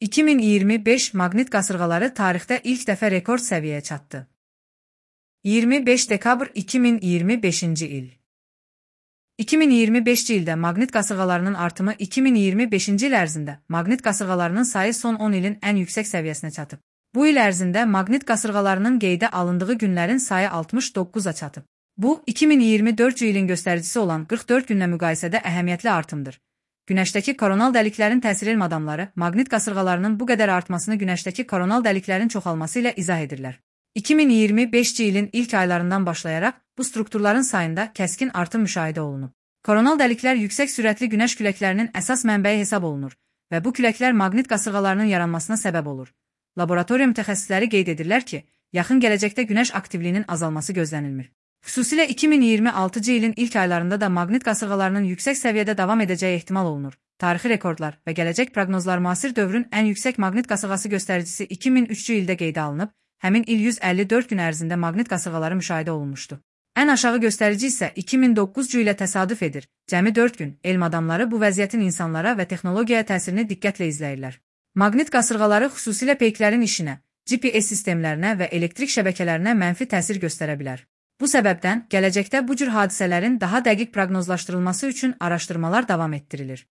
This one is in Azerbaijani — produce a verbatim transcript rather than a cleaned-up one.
iki min iyirmi beş maqnit qasırğaları tarixdə ilk dəfə rekord səviyyəyə çatdı. iyirmi beş dekabr iki min iyirmi beşinci il. iki min iyirmi beşinci ildə maqnit qasırğalarının artımı iki min iyirmi beşinci il ərzində maqnit qasırğalarının sayı son on ilin ən yüksək səviyyəsinə çatıb. Bu il ərzində maqnit qasırğalarının qeydə alındığı günlərin sayı altmış doqquza çatıb. Bu, iki min iyirmi dördüncü ilin göstəricisi olan qırx dörd günlə müqayisədə əhəmiyyətli artımdır. Günəşdəki koronal dəliklərin təsir elm adamları maqnit qasırğalarının bu qədər artmasını günəşdəki koronal dəliklərin çoxalması ilə izah edirlər. iki min iyirmi beşinci ilin ilk aylarından başlayaraq bu strukturların sayında kəskin artım müşahidə olunub. Koronal dəliklər yüksək sürətli günəş küləklərinin əsas mənbəyi hesab olunur və bu küləklər maqnit qasırğalarının yaranmasına səbəb olur. Laboratoriya mütəxəssisləri qeyd edirlər ki, yaxın gələcəkdə günəş aktivliyinin azalması gözlənilmir. Xüsusilə iki min iyirmi altıncı ilin ilk aylarında da maqnit qasırğalarının yüksək səviyyədə davam edəcəyi ehtimal olunur. Tarixi rekordlar və gələcək proqnozlar müasir dövrün ən yüksək maqnit qasırğası göstəricisi iki min üçüncü ildə qeydə alınıb, həmin il yüz əlli dörd gün ərzində maqnit qasırğaları müşahidə olunmuşdu. Ən aşağı göstərici isə iki min doqquzuncu ilə təsadüf edir. Cəmi dörd gün elm adamları bu vəziyyətin insanlara və texnologiyaya təsirini diqqətlə izləyirlər. Maqnit qasırğaları xüsusilə peyklərin işinə, G P S sistemlərinə və elektrik şəbəkələrinə mənfi təsir göstərə bilər. Bu səbəbdən gələcəkdə bu cür hadisələrin daha dəqiq proqnozlaşdırılması üçün araşdırmalar davam etdirilir.